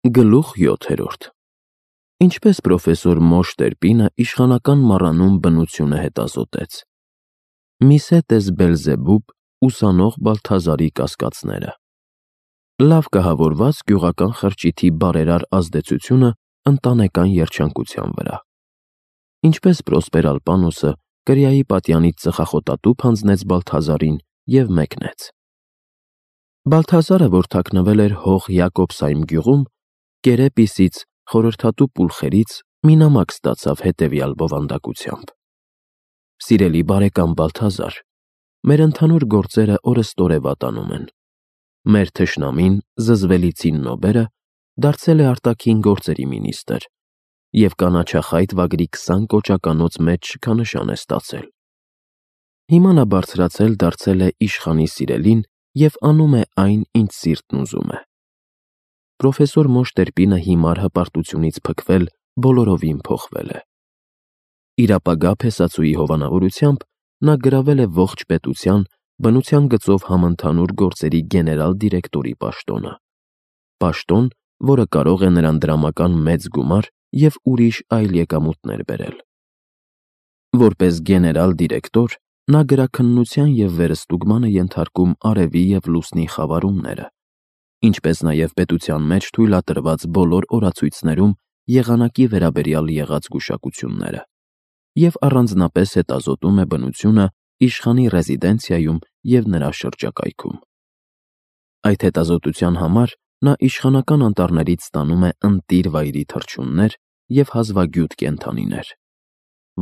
Գլուխ 7. Ինչպես պրոֆեսոր Մոշ Տերպինը իշխանական մառանում բնությունը հետազոտեց։ Միսետես Բելզեբուբ, ուսանող Բալթազարի կասկածները։ Լավ կահավորված գյուղական խրճիթի բարերար ազդեցությունը ընտանեկան երջանկության վրա։ Ինչպես Պրոսպեր Ալպանոսը կրիայի պատյանից ծխախոտատուփ հանձնեց Բալթազարին և մեկնեց։ Բալթազարը, որ թաքնվել էր հող Յակոբսայմ գյուղում, կերեպիսից, խորհրդատու պուլխերից մի նամակ ստացավ հետևյալ բովանդակությամբ. Սիրելի բարեկամ Բալթազար, մեր ընդհանուր գործերը օրըստօրե վատանում են։ Մեր թշնամին, զզվելի Ցիննոբերը, դարձել է արտաքին գործերի մինիստրը և կանաչախայտ վագրի 20 կոճականոց մեջ շքանշան է ստացել։ Հիմա նա բարձրացել դարձել է իշխանի սիրելին և անում է այն, ինչ սիրտն ուզում է։ Պրոֆեսոր Մոշ Տերպինը հիմար հպարտությունից փքվել բոլորովին փոխվել է։ Իր ապագա փեսացուի հովանավորությամբ նա գրավել է ողջ պետության բնության գծով համընդհանուր գործերի գեներալ դիրեկտորի պաշտոնը, պաշտոն, որը կարող է նրան դրամական մեծ գումար և ուրիշ այլ եկամուտներ բերել։ Որպես գեներալ դիրեկտոր նա գրաքննության և վերստուգման է ենթարկում արևի և լուսնի խավարումները, ինչպես նաև պետության մեջ թույլատրված բոլոր օրացույցներում եղանակի վերաբերյալ եղած գուշակությունները, և առանձնապես հետազոտում է բնությունը իշխանի ռեզիդենցիայում և նրա շրջակայքում։ Այդ հետազոտության համար նա իշխանական անտառներից ստանում է ընտիր վայրի թռչուններ և հազվագյուտ կենդանիներ,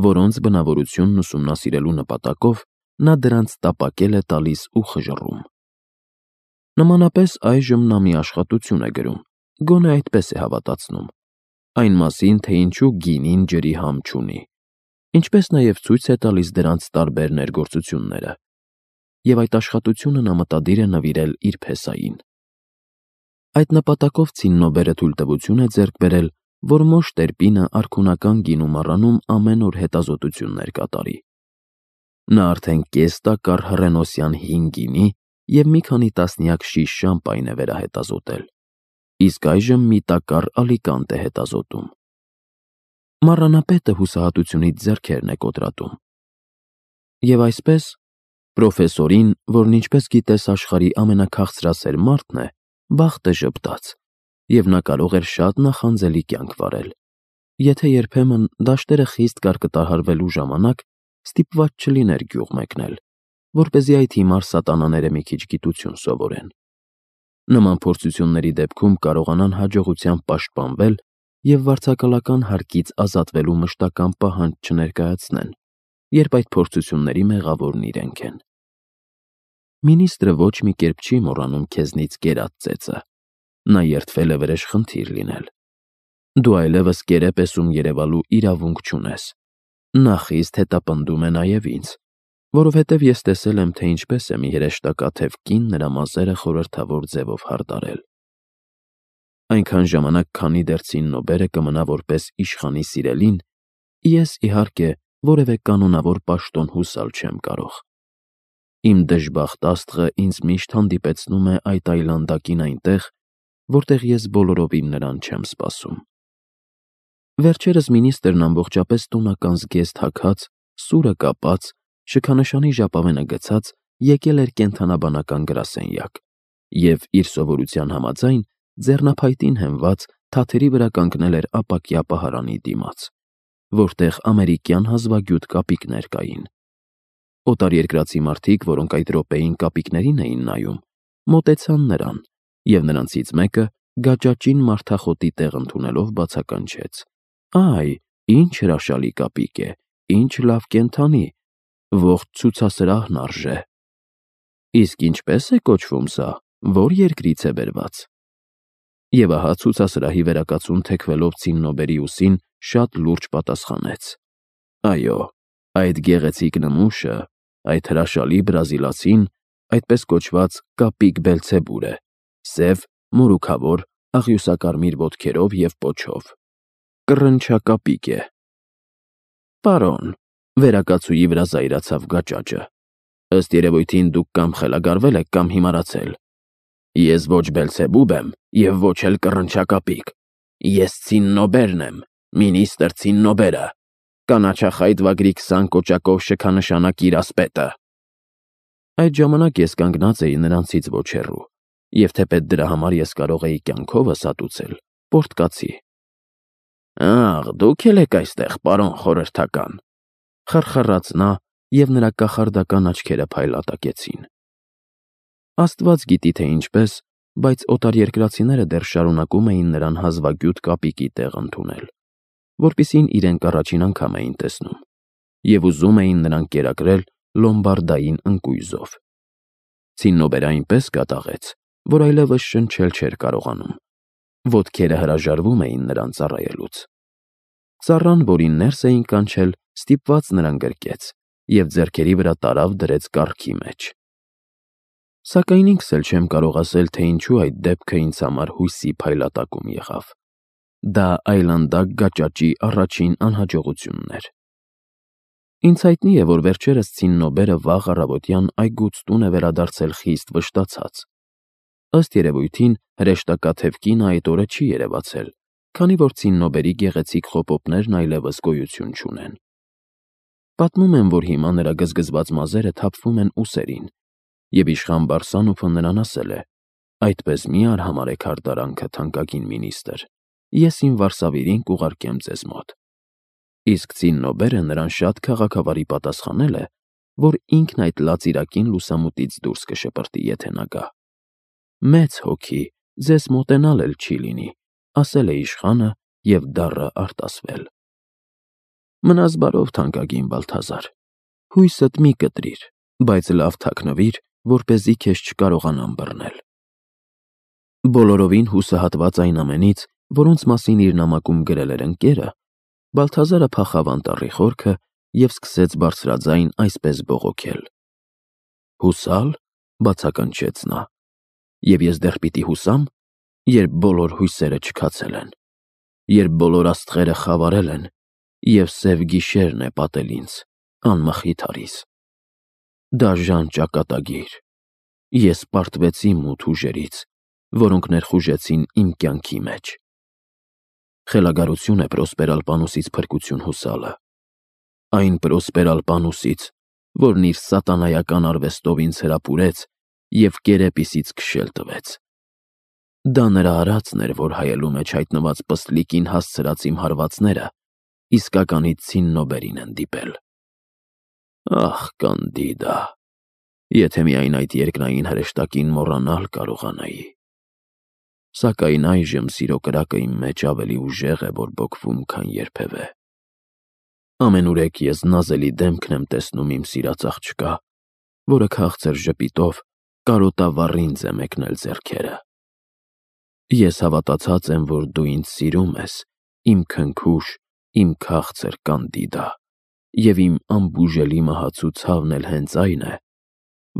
որոնց բնավորությունն ուսումնասիրելու նպատակով նա դրանց տապակել է տալիս ու խժռում։ Նմանապես այժմ նա մի աշխատություն է գրում, գոնե այդպես է հավատացնում, այն մասին, թե ինչու գինին ջրի համ չունի, ինչպես նաև ցույց է տալիս դրանց տարբեր ներգործությունները, և այդ աշխատությունը նա մտադիր է նվիրել իր փեսային։ Այդ նպատակով Ցիննոբերը թույլտվություն է ձեռք բերել, որ Մոշ Տերպինը արքունական գինու մառանում ամեն օր հետազոտություններ կատարի։ Նա արդեն կես տակառ հռենոսյան հին գինի և մի քանի տասնյակ շիշ շամպայն է վերահետազոտել, իսկ այժմ մի տակառ ալիկանտ է հետազոտում։ Մառանապետը հուսահատությունից ձեռքերն է կոտրատում։ Եվ այսպես, պրոֆեսորին, որն ինչպես գիտես աշխարհի ամենաքաղցրասեր մարդն է, բախտը ժպտաց, և նա կարող էր շատ նախանձելի կյանք վարել, եթե երբեմն դաշտերը խիստ կարկտահարվելու ժամանակ ստիպված չլիներ գյուղ մեկնել, որպեսզի այդ հիմար սատանաները մի քիչ գիտություն սովորեն։ Նման փորձությունների դեպքում կարողանան հաջողությամբ պաշտպանվել և վարձակալական հարկից ազատվելու մշտական պահանջ չներկայացնեն, երբ այդ փորձությունների մեղավորն իրենք են։ Մինիստրը ոչ մի կերպ չի մոռանում քեզնից կերած ծեծը։ Նա երդվել է վրեժխնդիր լինել։ Դու այլևս կերեպեսում երևալու իրավունք չունես։ Նա խիստ հետապնդում է նաև ինձ, որովհետև ես տեսել եմ, թե ինչպես է մի հրեշտակաթև կին նրա մազերը խորհրդավոր ձևով հարդարել։ Այնքան ժամանակ, քանի դեռ Ցիննոբերը կմնա որպես իշխանի սիրելին, ես, իհարկե, որևէ կանոնավոր պաշտոն հուսալ չեմ կարող։ Իմ դժբախտ աստղը ինձ միշտ հանդիպեցնում է այդ այլանդակին այնտեղ, որտեղ ես բոլորովին նրան չեմ սպասում։ Վերջերս մինիստրն ամբողջապես տոնական զգեստ հագած, սուրը կապած, շքանշանի ժապավենը գցած եկել էր կենդանաբանական գրասենյակ և, իր սովորության համաձայն, ձեռնափայտին հենված թաթերի վրա կանգնել էր ապակյա պահարանի դիմաց, որտեղ ամերիկյան հազվագյուտ կապիկներ կային։ Օտարերկրացի մարդիկ, որոնք այդ րոպեին կապիկներին էին նայում, մոտեցան նրան, և նրանցից մեկը գաճաճին մարդախոտի տեղ ընդունելով բացականչեց. «Այ, ինչ հրաշալի կապիկ է, ինչ լավ կենդանի, ողջ ցուցասրահն արժե»։ Իսկ ինչպե՞ս է կոչվում սա, որ երկրից է բերված։ Եվ ահա ցուցասրահի վերակացուն թեքվելով Ցիննոբերի ուսին շատ լուրջ պատասխանեց. «Այո, այդ գեղեցիկ նմուշը, այդ հրաշալի բրազիլացին, այդպես կոչված կապիկ Բելցեբուր է, սև, մորուքավոր, աղյուսակարմիր ոտքերով և պոչով։ Կռնչակապիկ է»։ Պարոն, վերակացուի վրա զայրացավ գաճաճը, ըստ երևույթին դուք կամ խելագարվել եք, կամ հիմարացել։ Ես ոչ Բելսեբուբ եմ և ոչ էլ կռնչակապիկ։ Ես Ցիննոբերն եմ, մինիստրը Ցիննոբերը, կանաչախայտ վագրի 20 կոճակով շքանշանակ իրասպետը։ Այդ ժամանակ ես կանգնած էի նրանցից ոչ հեռու, և թեպետ դրա համար ես կարող էի կյանքովս հատուցել պորտկացի։ Աղ, դուք էլ եք այստեղ, պարոն խորհրդական, խռխռաց նա, և նրա կախարդական աչքերը փայլատակեցին։ Աստված գիտի, թե ինչպես, բայց օտարերկրացիները դեռ շարունակում էին նրան հազվագյուտ կապիկի տեղ ընդունել, որպեսզի իրենք առաջին անգամ էին տեսնում, և ուզում էին նրան կերակրել լոմբարդային ընկույզով։ Ցիննոբերը այնպես կատաղեց, որ այլևս շնչել չէր կարողանում։ Ոտքերը հրաժարվում էին նրան ծառայելուց։ Ծառան, որին ներս էին կանչել, ստիպված նրան գրկեց և ձեռքերի վրա տարավ դրեց կառքի մեջ։ Սակայն ինքս էլ չեմ կարող ասել, թե ինչու այդ դեպքը ինձ համար հույսի փայլատակում եղավ։ Դա այլանդակ գաճաճի առաջին անհաջողությունն էր։ Ինձ հայտնի է, որ վերջերս Ցիննոբերը վաղ առավոտյան այգուց տուն է վերադարձել խիստ վշտացած։ Ըստ երևույթին, հրեշտակաթև կինը այդ օրը չի երևացել, քանի որ Ցիննոբերի գեղեցիկ խոպոպներն այլևս գոյություն չունեն։ Պատմում են, որ հիմա նրա գզգզված մազերը թափվում են ուսերին, և իշխան Բարսանուփը նրան ասել է. «Այդպես մի արհամարհեք հարդարանքը, թանկագին մինիստրը, ես իմ վարսավիրին կուղարկեմ ձեզ մոտ»։ Իսկ Ցիննոբերը նրան շատ քաղաքավարի պատասխանել է, որ ինքն այդ լացիրակին լուսամուտից դուրս կշպրտի, եթե նա գա։ «Մեծ հոգի, ձեզ մոտենալ էլ չի լինի», ասել է իշխանը և դառը արտասվել։ Մնաս բարով, թանկագին Բալթազար, հույսդ մի կտրիր, բայց լավ թաքնվիր, որպեսզի քեզ չկարողանան բռնել։ Բոլորովին հուսահատված այն ամենից, որոնց մասին իր նամակում գրել էր ընկերը, Բալթազարը փախավ անտառի խորքը և սկսեց բարձրաձայն այսպես բողոքել. «Հուսալ», բացականչեց նա, «և ես դեռ պիտի հուսամ, երբ բոլոր հույսերը չքացել են, երբ բոլոր աստղերը խավարել են, և սև գիշերն է պատել ինձ, անմխիթարիս։ Դաժան ճակատագիր, ես պարտվեցի մութ ուժերից, որոնք ներխուժեցին իմ կյանքի մեջ։ Խելագարություն է Պրոսպերալպանուսից փրկություն հուսալը, այն Պրոսպերալպանուսից, որն իր սատանայական արվեստով ինձ հրապուրեց և կերեպիսից քշել տվեց։ Դա նրա արածն էր, որ հայելու մեջ հայտնված պստլիկին հասցրած իմ հարվածները իսկականից Ցիննոբերին են դիպել։ Ախ, Կանդիդա, եթե միայն այդ երկնային հրեշտակին մոռանալ կարողանայի։ Սակայն այժմ սիրո կրակը իմ մեջ ավելի ուժեղ է բորբոքվում, քան երբևէ։ Ամենուրեք ես նազելի դեմքն եմ տեսնում իմ սիրած աղջկա, որը քաղցր ժպիտով կարոտավառինձ է մեկնել ձեռքերը։ Ես հավատացած եմ, որ դու ինձ սիրում ես, իմ քնքուշ, իմ քաղցր Կանդիդա, և իմ անբուժելի մահացու ցավն էլ հենց այն է,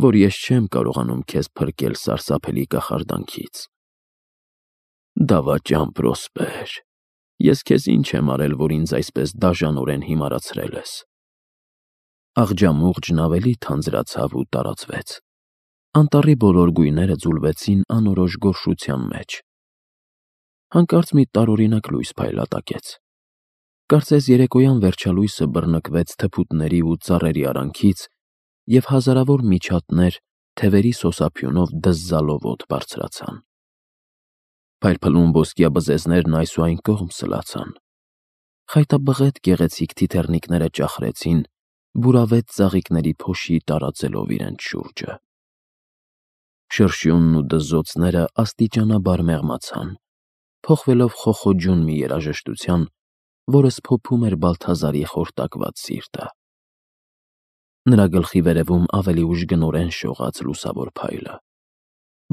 որ ես չեմ կարողանում քեզ փրկել սարսափելի կախարդանքից։ Դավաճան Պրոսպեր, ես քեզ ինչ եմ արել, որ ինձ այսպես դաժանորեն հիմարացրել ես։ Աղջամուղջն ավելի թանձրացավ ու տարածվեց։ Անտառի բոլոր գույները ձուլվեցին անորոշ գորշության մեջ։ Հանկարծ մի տարօրինակ լույս փայլատակեց։ Կարծես երեկոյան վերջալույսը բռնկվեց թփուտների ու ծառերի արանքից, և հազարավոր միջատներ թևերի սոսափյունով դզզալով օդ բարձրացան։ Փայլփլուն ոսկյա բզեզներն այս ու այն կողմ սլացան։ Խայտաբղետ գեղեցիկ թիթեռնիկները ճախրեցին, բուրավետ ծաղիկների փոշի տարածելով իրենց շուրջը։ Շրշյունն ու դզոծները աստիճանաբար մեղմացան, փոխվելով խոխոջուն մի երաժշտության, որը սփոփում էր Բալթազարի խորտակված սիրտը։ Նրա գլխի վերևում ավելի ուժգնորեն շողաց լուսավոր փայլը։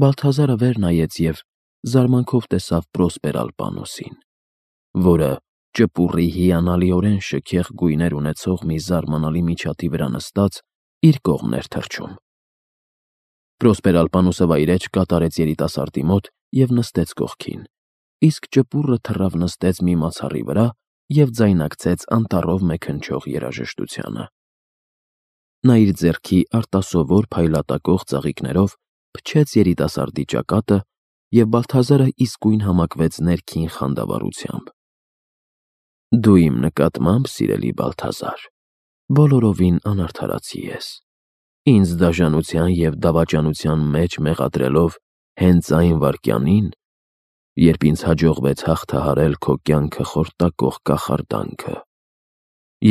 Բալթազարը վեր նայեց և զարմանքով տեսավ Պրոսպերալպանուսին, որը ճպուռի հիանալիորեն շքեղ գույներ ունեցող մի զարմանալի միջատի վրա նստած իր կողմն էր թռչում։ Պրոսպերալպանուսը վայրէջք կատարեց երիտասարդի մոտ և նստեց կողքին, իսկ ճպուռը թռավ նստեց մի մացառի վրա և ձայնակցեց անտառով մեքնչող երաժշտությանը։ Նա իր ձեռքի արտասովոր փայլատակող ծաղիկներով փչեց երիտասարդի ճակատը, և Բալթազարը իսկույն համակվեց ներքին խանդավառությամբ. «Դու իմ նկատմամբ, սիրելի Բալթազար, բոլորովին անարդարացի ես, ինձ դաժանության և դավաճանության մեջ մեղադրելով հենց այն վայրկյանին, երբ ինձ հաջողվեց հաղթահարել քո կյանքը խորտակող կախարդանքը,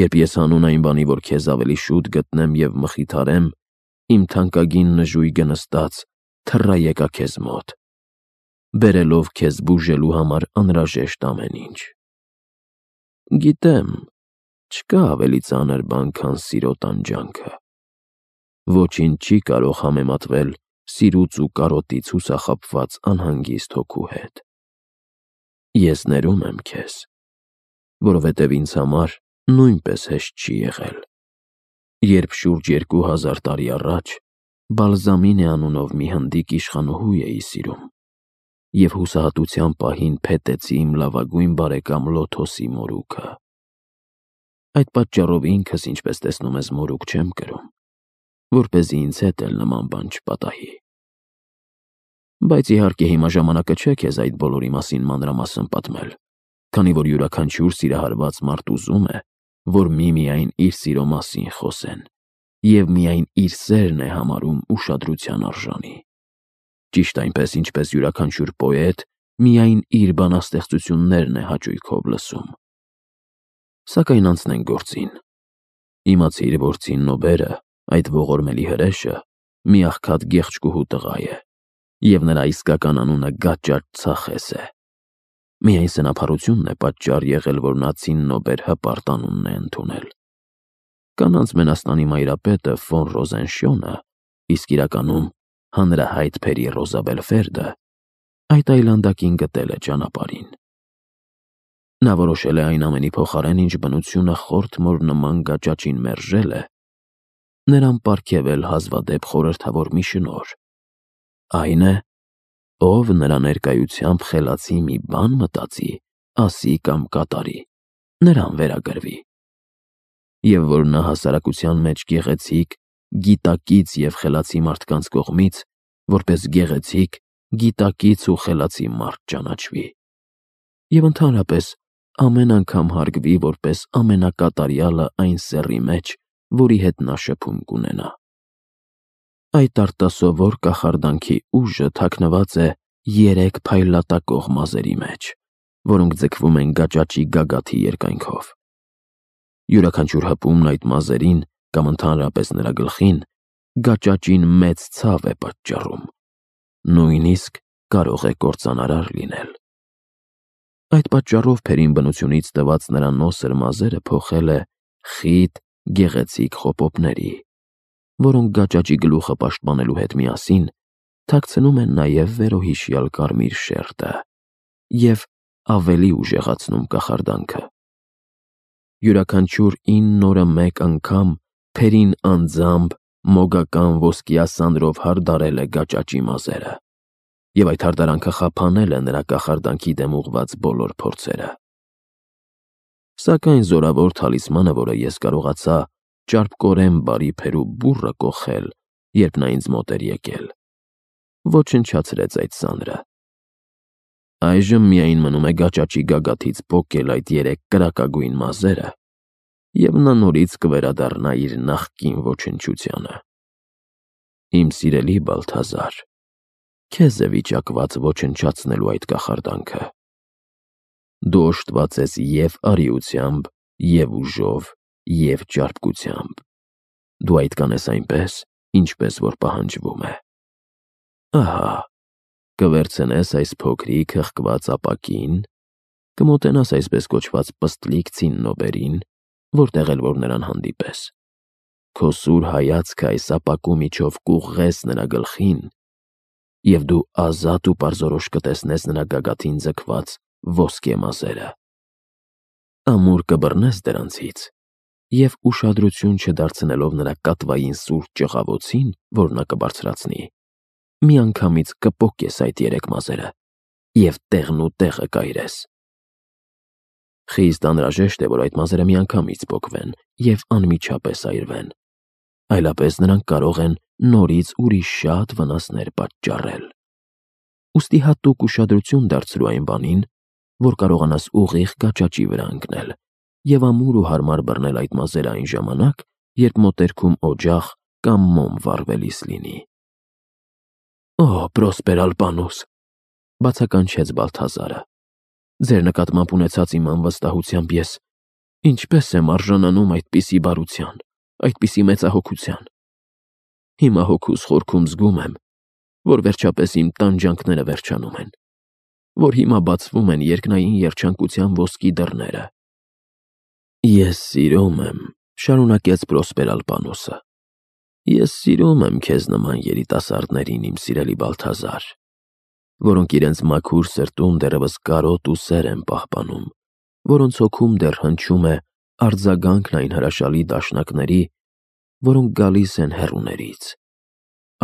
երբ ես հանուն այն բանի, որ քեզ ավելի շուտ գտնեմ և մխիթարեմ, իմ թանկագին նժույգը նստած թռա եկա քեզ մոտ, բերելով քեզ բուժելու համար անհրաժեշտ ամեն ինչ։ Գիտեմ, չկա ավելի ծանր բան, քան սիրո տանջանքը։ Ոչինչ չի կարող համեմատվել սիրուց ու կարոտից հուսախաբված անհանգիստ հոգու հետ։ Ես ներում եմ քեզ, որովհետև ինձ համար նույնպես հեշտ չի եղել, երբ շուրջ 2000 տարի առաջ Բալզամինե անունով մի հնդիկ իշխանուհու էի սիրում և հուսահատության պահին փետեցի իմ լավագույն բարեկամ Լոթոսի մորուքը։ Այդ պատճառով ինքս, ինչպես տեսնում ես, մորուք չեմ կրում, որպեսզի ինձ հետ էլ նման բան չպատահի։ Բայց իհարկե հիմա ժամանակը չէ քեզ այդ բոլորի մասին մանրամասն պատմել, քանի որ յուրաքանչյուր սիրահարված մարդ ուզում է, որ միմիայն իր սիրո մասին խոսեն, և միայն իր սերն է համարում ուշադրության արժանի։ Ճիշտ այնպես, ինչպես յուրաքանչյուր պոետ միայն իր բանաստեղծություններն է հաճույքով լսում։ Սակայն անցնենք գործին։ Իմացիր, որ Ցիննոբերը, այդ ողորմելի հրեշը, մի աղքատ գեղեցկուհու տղա է, և նրա իսկական անունը Գաճաճ Ցախես է։ Միայն սնափառությունն է պատճառ եղել, որ նա Ցիննոբեր հպարտ անունն է ընդունել։ Կանանց մենաստանի մայրապետը ֆոն Ռոզենշյոնը, իսկ իրականում հանրահայտ Փերի Ռոզաբելֆերդը, այդ այլանդակին գտել է ճանապարհին։ Նա որոշել է այն ամենի փոխարեն, ինչ բնությունը խորթ մոր նման գաճաճին մերժել է, նրան պարգևել հազվադեպ խորհրդավոր մի շնորհ, այն է, ով նրա ներկայությամբ խելացի մի բան մտածի, ասի կամ կատարի, նրան վերագրվի։ Եվ որ նա հասարակության մեջ գեղեցիկ, գիտակից և խելացի մարդկանց կողմից, որպես գեղեցիկ, գիտակից ու խելացի մարդ ճանաչվի, և ընդհանրապես ամեն անգամ հարգվի որպես ամենակատարյալը այն սեռի մեջ, որի հետ նա շփում կունենա։ Այդ արտասովոր կախարդանքի ուժը թաքնված է 3 փայլատակող մազերի մեջ, որոնք ձգվում են գաճաճի գագաթի երկայնքով։ Յուրաքանչյուր հպումն այդ մազերին կամ ընդհանրապես նրա գլխին գաճաճին մեծ ցավ է պատճառում, նույնիսկ կարող է կործանարար լինել։ Այդ պատճառով Փերին բնությունից տված նրա նոսր մազերը փոխել է խիտ, գեղեցիկ խոպոպների, որոնք գաճաճի գլուխը պաշտպանելու հետ միասին թաքցնում են նաև վերոհիշյալ կարմիր շերտը և ավելի ուժեղացնում կախարդանքը։ Յուրաքանչյուր 9 օրը մեկ անգամ Փերին անձամբ մոգական ոսկյա սանրով հարդարել է գաճաճի մազերը, և այդ հարդարանքը խափանել է նրա կախարդանքի դեմ ուղղված բոլոր փորձերը։ Սակայն զորավոր թալիսմանը, որը ես կարողացա ճարպկորեն բարի Փերու բուռը կոխել, երբ նա ինձ մոտ էր եկել, ոչնչացրեց այդ սանրը։ Այժմ միայն մնում է գաճաճի գագաթից պոկել այդ 3 կրակագույն մազերը, և նա նորից կվերադառնա իր նախկին ոչնչությանը։ Իմ սիրելի Բալթազար, քեզ է վիճակված ոչնչացնելու այդ կախարդանքը։ Դու օժտված ես և արիությամբ, և ուժով, և ճարպկությամբ։ Դու այդ կանես այնպես, ինչպես որ պահանջվում է։ Ահա, կվերցնես այս փոքրիկ հղկված ապակին, կմոտենաս այսպես կոչված պստլիկ Ցիննոբերին, որտեղ էլ որ նրան հանդիպես, քո սուր հայացքը այս ապակու միջով կուղղես նրա գլխին, և դու ազատ ու պարզորոշ կտեսնես նրա գագաթին ձգված ոսկե մազերը։ Ամուր կբռնես դրանցից և ուշադրություն չդարձնելով նրա կատվային սուր ճղավոցին, որ նա կբարձրացնի, միանգամից կպոկես այդ 3 մազերը և տեղն ու տեղը կայրես։ Խիստ անհրաժեշտ է, որ այդ մազերը միանգամից պոկվեն և անմիջապես այրվեն, այլապես նրանք կարող են նորից ուրիշ շատ վնասներ պատճառել։ Ուստի հատուկ ուշադրություն դարձրու այն բանին, որ կարողանաս ուղիղ կաճաճի վրա ընկնել և ամուր ու հարմար բռնել այդ մազերը այն ժամանակ, երբ մոտերքում օջախ կամ մոմ վառվելիս լինի։ «Օ, Պրոսպեր-Ալպանուս», բացականչեց Բալթազարը, «ձեր նկատմամբ ունեցած իմ անվստահությամբ ես ինչպես եմ արժանանում այդպիսի բարության, այդպիսի մեծահոգության։ Հիմա հոգուս խորքում զգում եմ, որ վերջապես իմ տանջանքները վերջանում են, որ հիմա բացվում են երկնային երջանկության ոսկի դռները»։ «Ես սիրում եմ», շարունակեց Պրոսպեր-Ալպանուսը, «ես սիրում եմ քեզ նման երիտասարդներին, իմ սիրելի Բալթազար, որոնք իրենց մաքուր սրտում դեռևս կարոտ ու սեր են պահպանում, որոնց հոգում դեռ հնչում է արձագանքն այն հրաշալի դաշնակների, որոնք գալիս են հեռուներից,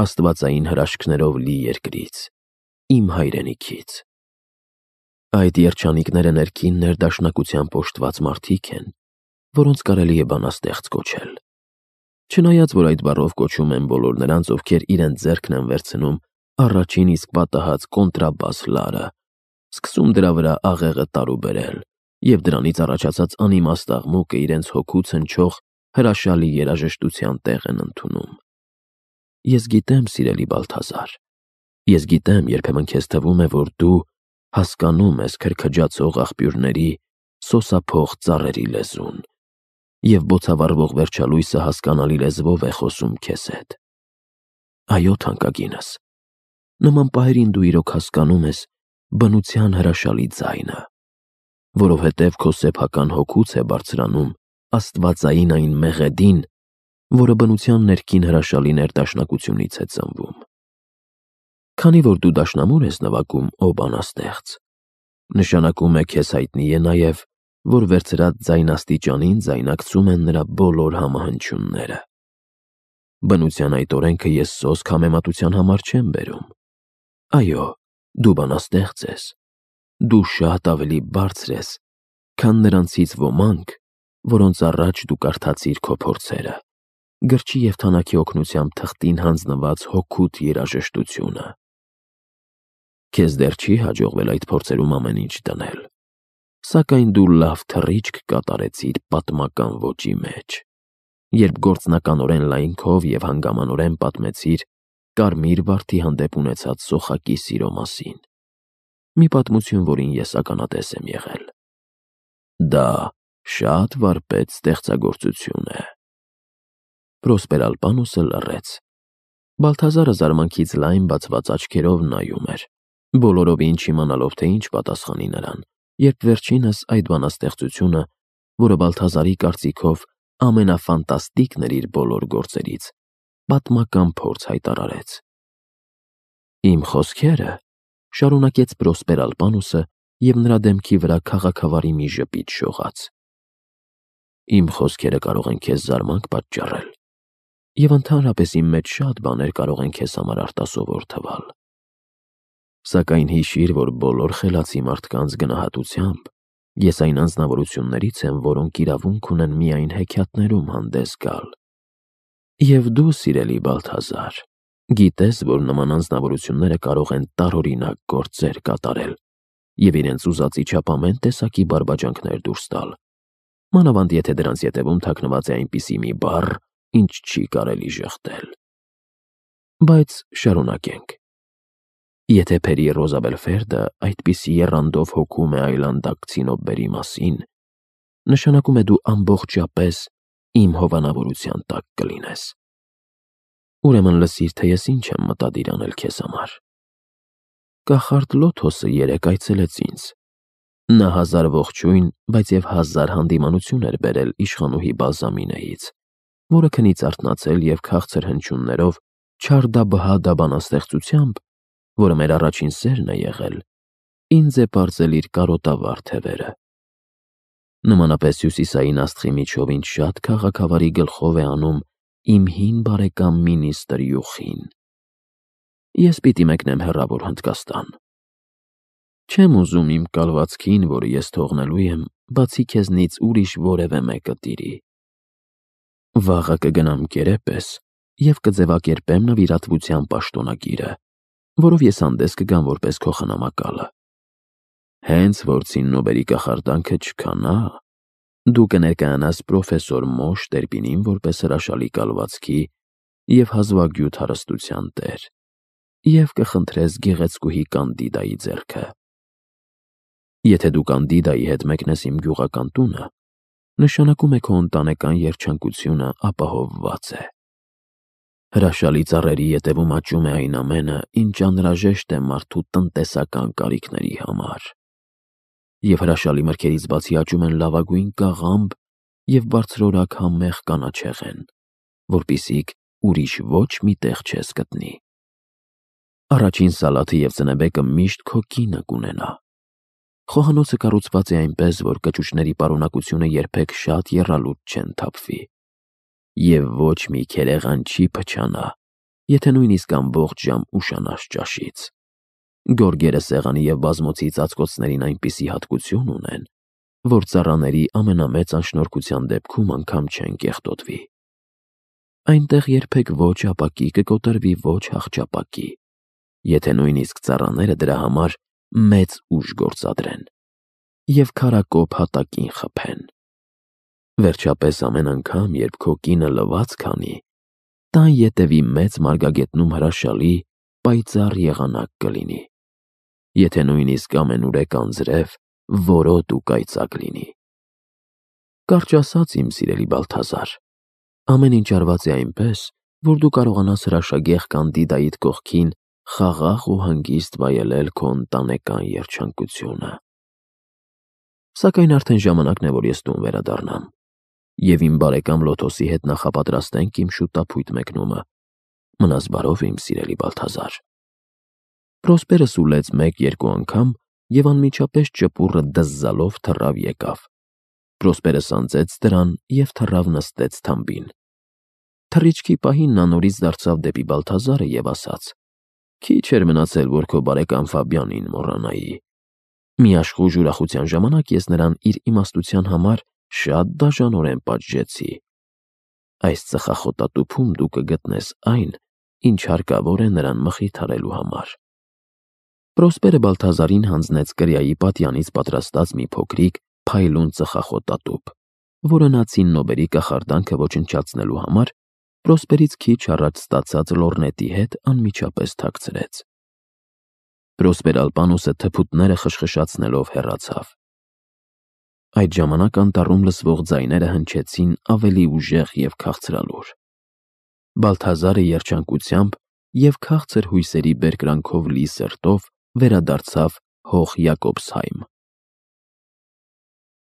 աստվածային հրաշքներով լի երկրից, իմ հայրենիքից։ Այդ երջանիկները ներքին ներդաշնակությամբ օժտված մարդիկ են, որոնց կարելի է բանաստեղծ կոչել։ Չնայած, որ այդ բառով կոչում են բոլոր նրանց, ովքեր իրենց ձեռքն են վերցնում առաջին իսկ պատահած կոնտրաբաս լարը, սկսում դրա վրա աղեղը տարուբերել և դրանից առաջացած անիմաստ աղմուկը իրենց հոգուց հնչող հրաշալի երաժշտության տեղ են ընդունում։ Ես գիտեմ, սիրելի Բալթազար, ես գիտեմ, երբեմն քեզ թվում է, որ դու հասկանում ես քրքջացող աղբյուրների սոսափող ծառերի լեզուն, և բոցավառվող վերջալույսը հասկանալի լեզվով է խոսում քեզ հետ։ Այո, թանկագինս, նման պահերին դու իրոք հասկանում ես բնության հրաշալի ձայնը, որովհետև քո սեփական հոգուց է բարձրանում աստվածային այն մեղեդին, որը բնության ներքին հրաշալի ներդաշնակությունից է ծնվում։ Քանի որ դու դաշնամուր ես նվագում, ո բանաստեղծ, նշանակում է քեզ հայտնի է նաև, որ վերցրած ձայնաստիճանին ձայնակցում են նրա բոլոր համահնչյունները։ Բնության այդ օրենքը ես սոսկ համեմատության համար չեմ բերում։ Այո, դու բանաստեղծ ես, դու շատ ավելի բարձր ես, քան նրանցից ոմանք, որոնց առաջ դու կարդացիր քո փորձերը, գրչի և թանաքի օգնությամբ թղթին հանձնված հոգուդ երաժշտությունը։ Քեզ դեռ չի հաջողվել այդ փորձերում ամեն ինչ դնել, սակայն դու լավ թռիչք կատարեցիր պատմական ոճի մեջ, երբ գործնականորեն լայնքով և հանգամանորեն պատմեցիր կարմիր վարդի հանդեպ ունեցած սոխակի սիրո մասին, մի պատմություն, որին ես ականատես եմ եղել։ Դա շատ վարպետ ստեղծագործություն է։ Պրոսպեր-Ալպանուսը լռեց։ Բալթազարը զարմանքից լայն բացված աչքերով նայում էր, բոլորովին չիմանալով, թե ինչ պատասխանի նրան, երբ վերջինս այդ բանաստեղծությունը, որը Բալթազարի կարծիքով ամենաֆանտաստիկն էր իր բոլոր գործերից, պատմական փորձ հայտարարեց։ Իմ խոսքերը, շարունակեց Պրոսպեր-Ալպանուսը, և նրա դեմքի վրա քաղաքավարի մի ժպիտ շողաց, իմ խոսքերը կարող են քեզ զարմանք պատճառել, և ընդհանրապես իմ մեջ շատ բաներ կարող են քեզ համար արտասովոր թվալ։ Սակայն հիշիր, որ բոլոր խելացի մարդկանց գնահատությամբ ես այն անձնավորություններից եմ, որոնք իրավունք ունեն միայն հեքիաթներում հանդես գալ։ Եվ դու, սիրելի Բալթազար, գիտես, որ նման անձնավորությունները կարող են տարօրինակ գործեր կատարել և իրենց ուզածի չափ ամեն տեսակի բարբաջանքներ դուրս տալ, մանավանդ եթե դրանց ետևում թաքնված է այնպիսի մի բառ, ինչ չի կարելի ժխտել։ Բայց շարունակենք։ Եթե Փերի Ռոզաբելֆերդը այդպիսի եռանդով հոգում է այլանդակ ցինոբբերի մասին, նշանակում է դու ամբողջապես իմ հովանավորության տակ կլինես։ Ուրեմն լսիր, թե ես ինչ եմ մտադիր անել քեզ համար։ Կախարդ Լոթոսը երեկ այցելեց ինձ։ Նա 1000 ողջույն, բայց և 1000 հանդիմանություն էր բերել իշխանուհի Բալզամինեից, որը քնից արթնացել և քաղցր հնչյուններով Չարդաբհադա բանաստեղծությամբ, որը մեր առաջին սերն է եղել, ինձ է պարզել իր կարոտավառ թևերը։ Նմանապես հյուսիսային աստղի միջով ինձ շատ քաղաքավարի գլխով է անում իմ հին բարեկամ մինիստր Յուխին։ Ես պիտի մեկնեմ հեռավոր Հնդկաստան։ Չեմ ուզում իմ կալվածքին, որը ես թողնելու եմ, բացի քեզնից ուրիշ որևէ մեկը տիրի։ Վաղը կգնամ կերեպես և կձևակերպեմ նվիրատվության պաշտոնակիրը, որով ես հանդես կգամ որպես քո խնամակալը։ Հենց որ ցիննոբերի կախարդանքը չքանա, դու կներկայանաս պրոֆեսոր Մոշ Տերպինին որպես հրաշալի կալվածքի և հազվագյուտ հարստության տեր և կխնդրես գեղեցկուհի Կանդիդայի ձեռքը։ Եթե դու Կանդիդայի հետ մեկնես իմ գյուղական տունը, նշանակում է քո ընտանեկան երջանկությունը ապահովված է։ Հրաշալի ծառերի ետևում աճում է այն ամենը, ինչ անհրաժեշտ է մարդու տնտեսական կարիքների համար։ Եվ հրաշալի մրգերից բացի աճում են լավագույն կաղամբ և բարձրորակ համեղ կանաչեղեն, որպիսիք ուրիշ ոչ մի տեղ չես գտնի։ Առաջին սալաթը և ծնեբեկը միշտ քո կինը կունենա։ Խոհանոցը կառուցված է այնպես, որ կճուճների պարունակությունը երբեք շատ եռալուտ չեն թափվի, և ոչ մի քերեղան չի փչանա, եթե նույնիսկ ամբողջ ժամ ուշանաս ճաշից։ Գորգերը սեղանի և բազմոցի ծածկոցներին այնպիսի հատկություն ունեն, որ ծառաների ամենամեծ անշնորհքության դեպքում անգամ չեն կեղտոտվի։ Այնտեղ երբեք ոչ ապակի կկոտրվի, ոչ հախճապակի, եթե նույնիսկ ծառաները դրա համար մեծ ուժ գործադրեն և քարակոպ հատակին խփեն։ Վերջապես ամեն անգամ, երբ քո կինը լվաց քանի, տան ետևի մեծ մարգագետնում հրաշալի պայծառ եղանակ կլինի, եթե նույնիսկ ամենուրեք անձրև, որոտ ու կայծակ լինի։ Կարճ ասած, իմ սիրելի Բալթազար, ամեն ինչ արված է այնպես, որ դու կարողանաս հրաշագեղ Կանդիդայիդ կողքին խաղաղ ու հանգիստ վայելել քո ընտանեկան երջանկությունը։ Սակայն արդեն ժամանակն է, որ ես տուն վերադառնամ, և իմ բարեկամ Լոթոսի հետ նախապատրաստենք իմ շուտափույթ մեկնումը։ Մնաս բարով, իմ սիրելի Բալթազար։ Պրոսպերը սուլեց մեկ-երկու անգամ և անմիջապես ճպուռը դզզալով թռավ եկավ։ Պրոսպերը սանձեց դրան և թռավ նստեց թամբին։ Թռիչքի պահին նա նորից դարձավ դեպի Բալթազարը և ասաց. «Քիչ էր մնացել, որ քո բարեկամ Ֆաբյանին մոռանայի»։ Մի աշխույժ ուրախության ժամանակ ես նրան իր իմաստության համար շատ դաժանորեն պատժեցի։ Այս ծխախոտատուփում դու կգտնես այն, ինչ հարկավոր է նրան մխիթարելու համար։ Պրոսպերը Բալթազարին հանձնեց կրիայի պատյանից պատրաստած մի փոքրիկ փայլուն ծխախոտատուփ, որը նա ցիննոբերի կախարդանքը ոչնչացնելու համար Պրոսպերից քիչ առաջ ստացած լոռնետի հետ անմիջապես թաքցրեց։ Պրոսպեր Ալպանոսը թփուտները խշխշացնելով հեռացավ։ Այդ ժամանակ անտառում լսվող ձայները հնչեցին ավելի ուժեղ և քաղցրալուր։ Բալթազարը երջանկությամբ և քաղցր հույսերի բերկրանքով լի սրտով վերադարձավ հող Յակոբսհայմ։